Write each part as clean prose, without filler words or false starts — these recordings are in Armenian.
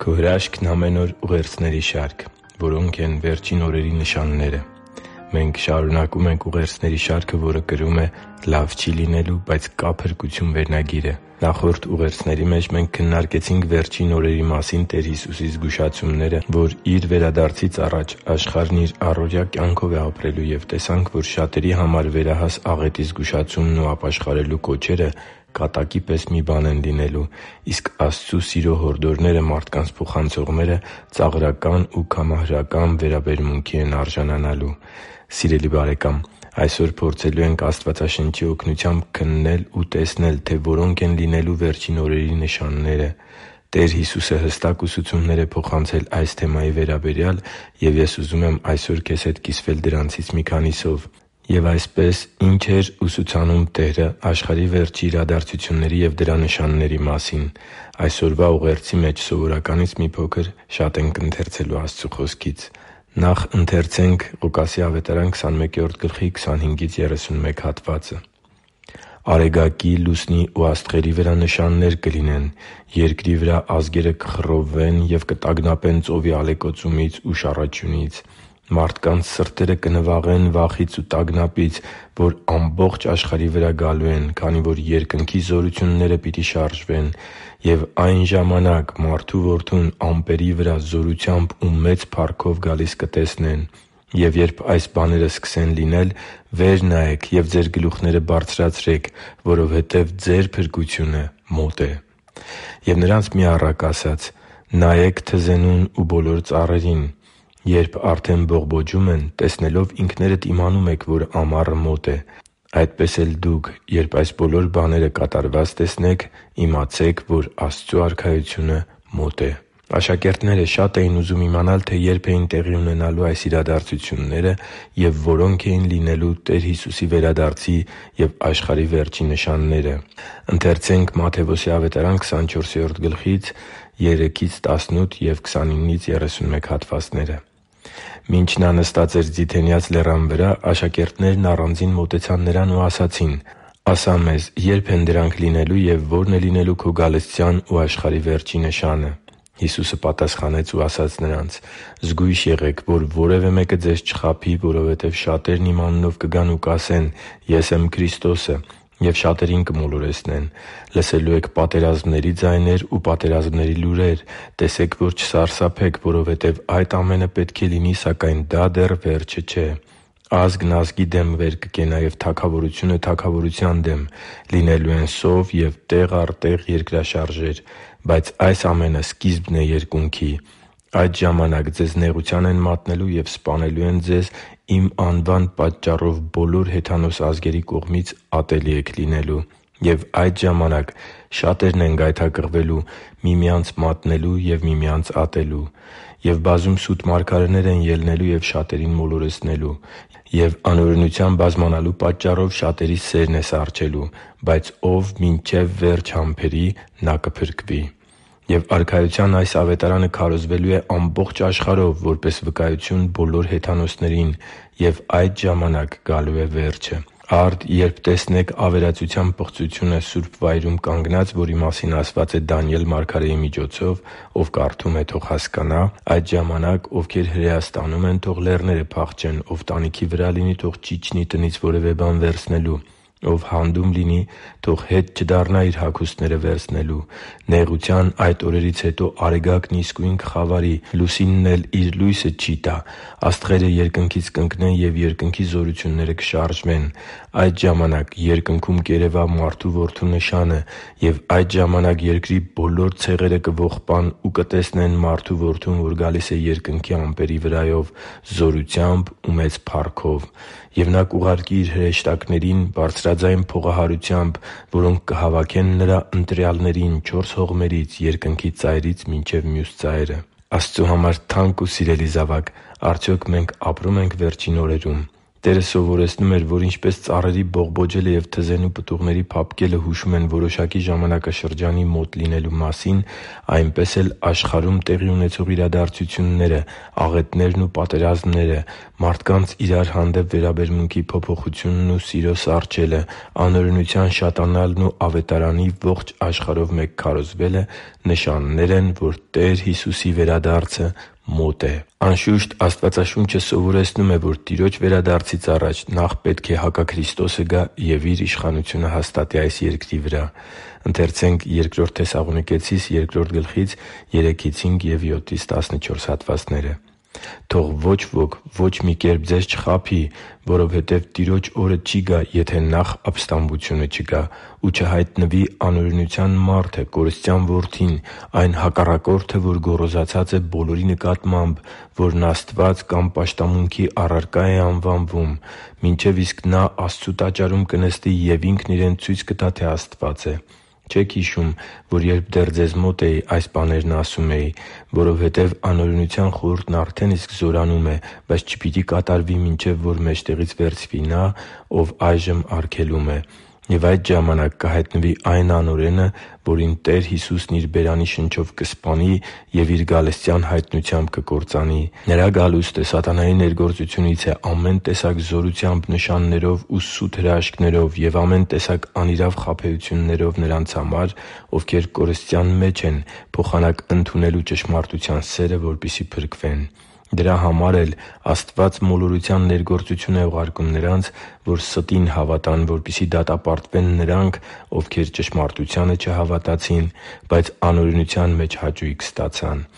Քո հրաշքն ամեն օր ուղերձների շարք, որոնք են վերջին օրերի նշանները։ Մենք շարունակում ենք ուղերձների շարքը, որը կրում է «Լավ չի լինելու, բայց կա փրկություն» վերնագիրը։ Նախորդ ուղերձների մեջ մենք քննարկեցինք վերջին օրերի մասին Տեր Հիսուսի զգուշացումները, որ Իր վերադարձից առաջ աշխարհն իր առօրյա կյանքով է ապրելու, և տեսանք, որ շատերի համար վերահաս աղետի զգուշացումն ու ապաշխարելու կոչերը կատակի պես մի բան են լինելու, իսկ Աստծու սիրո հորդորները մարդկանց փոխանցողները ծաղրական ու կամահրական վերաբերմունքի են արժանանալու։ Սիրելի՛ բարեկամ, այսօր փորձելու ենք Աստվածաշնչի օգնությամբ քննել ու տեսնել, թե որոնք են լինելու վերջին օրերի նշանները։ Տեր Հիսուսը հստակ ուսուցումներ է փոխանցել այս թեմայի վերաբերյալ, և ես ուզում եմ այսօր քեզ հետ կիսվել դրանցից մի քանիսով։ Եվ այսպես, ի՞նչ էր ուսուցանում Տերը աշխարհի վերջի իրադարձությունների և դրա նշանների մասին։ Այսօրվա ուղերձի մեջ սովորականից մի փոքր շատ ենք ընթերցելու Աստծու Խոսքից։ Նախ ընթերցենք Ղուկաս 21:25-31 հատվածը. «Արեգակի, լուսնի ու աստղերի վրա նշաններ կլինեն. երկրի վրա ազգերը կխռովվեն և կտագնապեն ծովի ալեկոծումից ու շառաչյունից։ Մարդկանց սրտերը կնվաղեն վախից ու տագնապից, որ ամբողջ աշխարհի վրա գալու են, քանի որ երկնքի զորությունները պիտի շարժվեն։ Եվ այն ժամանակ Մարդու Որդուն ամպերի վրա զորությամբ ու մեծ փառքով գալիս կտեսնեն։ Եվ երբ այս բաները սկսեն լինել, վեր նայեք և ձեր գլուխները բարձրացրեք, որովհետև ձեր փրկությունը մոտ է»։ Եվ Նրանց մի առակ ասաց. «Նայեք թզենուն ու բոլոր ծառերին. երբ արդեն բողբոջում են, տեսնելով ինքներդ իմանում եք, որ ամառը մոտ է։ Այդպես էլ դուք, երբ այս բոլոր բաները կատարված տեսնեք, իմացեք, որ Աստծու Արքայությունը մոտ է»։ Աշակերտները շատ էին ուզում իմանալ, թե երբ էին տեղի ունենալու այս իրադարձությունները և որոնք էին լինելու Տեր Հիսուսի վերադարձի և աշխարհի վերջի նշանները։ «Մինչ Նա նստած էր Ձիթենյաց լեռան վրա, աշակերտներն առանձին մոտեցան Նրան ու ասացին. «Ասա մեզ, ե՞րբ են դրանք լինելու և ո՞րն է լինելու Քո գալստյան ու աշխարհի վերջի նշանը»։ Հիսուսը պատասխանեց ու ասաց նրանց. «Զգույշ եղեք, որ որևէ մեկը ձեզ չխաբի, որովհետև շատերն իմ անունով կգան ու կասեն. «Ես եմ Քրիստոսը», և շատերին կմոլորեցնեն։ Լսելու եք պատերազմների ձայներ ու պատերազմների լուրեր։ Տեսեք, որ չսարսափեք, որովհետև այդ ամենը պետք է լինի, սակայն դա դեռ վերջը չէ։ Ազգն ազգի դեմ վեր կկենա, և թագավորությունը թագավորության դեմ. լինելու են սով և տեղ առ տեղ երկրաշարժեր։ Բայց այս ամենը սկիզբն է երկունքի։ Այդ ժամանակ ձեզ նեղության են մատնելու և սպանելու են ձեզ. իմ անվան պատճառով բոլոր հեթանոս ազգերի կողմից ատելի եք լինելու։ Եվ այդ ժամանակ շատերն են գայթակղվելու, միմյանց մատնելու և միմյանց ատելու։ Եվ բազում սուտ մարգարեներ են ելնելու և շատերին մոլորեցնելու։ Եվ անօրենության բազմանալու պատճառով շատերի սերն է սառչելու։ Բայց ով մինչև վերջ համբերի, նա կփրկվի։ Եվ Արքայության այս ավետարանը քարոզվելու է ամբողջ աշխարհով որպես վկայություն բոլոր հեթանոսներին, և այդ ժամանակ գալու է վերջը։ Արդ, երբ տեսնեք ավերածության պղծությունը սուրբ վայրում կանգնած, որի մասին ասված է Դանիել մարգարեի միջոցով, ով կարդում է, թող հասկանա, այդ ժամանակ ովքեր հրեաստանում են, թող լեռները փախչեն, ով տանիքի վրա լինի, թող չիջնի տնից որևէ բան վերցնելու։ Ով հանդում լինի, թող հետ չդառնա իր հագուստները վերցնելու։ Նեղության այդ օրերից հետո Արեգակն իսկույն կխավարի, լուսինն էլ իր լույսը չի տա։ Աստղերը երկնքից կընկնեն, և երկնքի զորությունները կշարժվեն։ Այդ ժամանակ երկնքում կերևա Մարդու Որդու նշանը, և այդ ժամանակ երկրի բոլոր ցեղերը կողպան ու կտեսնեն Մարդու Որդուն, որ գալիս է երկնքի ամպերի վրայով զորությամբ ու մեծ փառքով։ Եվ Նա կուղարկի Իր հրեշտակներին բարձրաձայն փողահարությամբ, որոնք կհավաքեն Նրա ընտրյալներին չորս հողմերից՝ երկնքի ծայրից մինչև մյուս ծայրը» Աստծու համար թանկ ու սիրելի՛ զավակ, արդյոք մենք ապրո՞ւմ ենք վերջին օրերում։ Տերը սովորեցնում էր, որ ինչպես ծառերի բողբոջելը և թզենու պտուղների փափկելը հուշում են որոշակի ժամանակաշրջանի մոտ լինելու մասին, այնպես էլ աշխարհում տեղի ունեցող իրադարձությունները, աղետներն ու պատերազմները, մարդկանց իրար հանդեպ վերաբերմունքի փոփոխությունն ու սիրո սառչելը, անօրենության շատանալն ու Ավետարանի ողջ աշխարհով մեկ քարոզվելը նշաններ են, որ Տեր Հիսուսի վերադարձը մոտ է։ Անշուշտ, Աստվածաշունչը սովորեցնում է, որ Տիրոջ վերադարձից առաջ նախ պետք է հակաքրիստոսը գա և Իր իշխանությունը հաստատի այս երկրի վրա։ «Թող ոչ ոք ոչ մի կերպ ձեզ չխաբի, որովհետև Տիրոջ օրը չի գա, եթե նախ ապստամբությունը չկա, ու չհայտնվի անօրենության մարդը, կորստյան որդին, այն հակառակորդը, որ գոռոզացած է բոլորի նկատմամբ, որն Աստված կամ պաշտամունքի առարկա է անվանվում, մինչև իսկ նա Աստծու տաճարում կնստի և Ինքն իրեն ցույց կտա, թե Աստված է։ Չե՞ք հիշում, որ երբ դեռ ձեզ մոտ էի, այս բաներն ասում էի, որովհետև անօրենության խորհուրդն արդեն իսկ զորանում է, բայց չպիտի կատարվի, մինչև որ մեջտեղից վերցվի նա, ով այժմ արգելում է։ Եվ այդ ժամանակ կհայտնվի այն անօրենը, որին Տեր Հիսուսն Իր բերանի շնչով կսպանի և Իր գալստյան հայտնությամբ կկործանի։ Նրա գալուստը սատանայի ներգործությունից է ամեն տեսակ զորությամբ, նշաններով ու սուտ հրաշքներով և ամեն տեսակ անիրավ խաբեություններով նրանց համար, ովքեր կորստյան մեջ են, փոխանակ ընդունելու ճշմարտության սերը, որպեսզի փրկվեն։ Դրա համար էլ Աստված մոլորության ներգործություն է ուղարկում նրանց, որ ստին հավատան, որպեսզի դատապարտվեն նրանք, ովքեր ճշմարտությանը չհավատացին, բայց անօրենության մեջ հաճույք ստացան։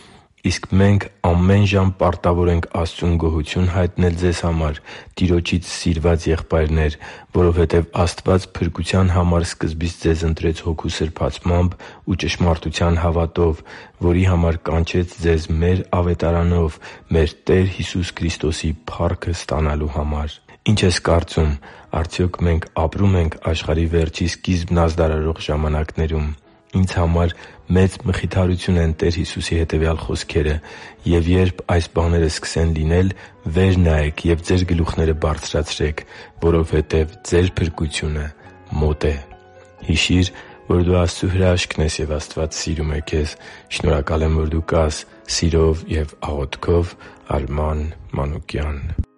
Իսկ մենք ամեն ժամ պարտավոր ենք Աստծուն գոհություն հայտնել ձեզ համար, Տիրոջից սիրված եղբայրնե՛ր, որովհետև Աստված փրկության համար սկզբից ձեզ ընտրեց Հոգու սրբացմամբ ու ճշմարտության հավատով, որի համար կանչեց ձեզ մեր Ավետարանով՝ մեր Տեր Հիսուս Քրիստոսի փառքը ստանալու համար։ Ի՞նչ ես կարծում, արդյոք մենք ապրում ենք աշխարհի վերջի սկիզբն ազդարարող ժամանակներում։ Ինձ համար մեծ մխիթարություն են Տեր Հիսուսի հետևյալ խոսքերը. «Եվ երբ այս բաները սկսեն լինել, վեր նայեք և ձեր գլուխները բարձրացրեք, որովհետև ձեր փրկությունը մոտ է»։ Հիշի՛ր, որ դու Աստծո հրաշքն ես, և Աստված սիրում է քեզ։ Շնորհակալ եմ, որ դու կա՛ս։ Սիրով և աղոթքով, Արման Մանուկյան։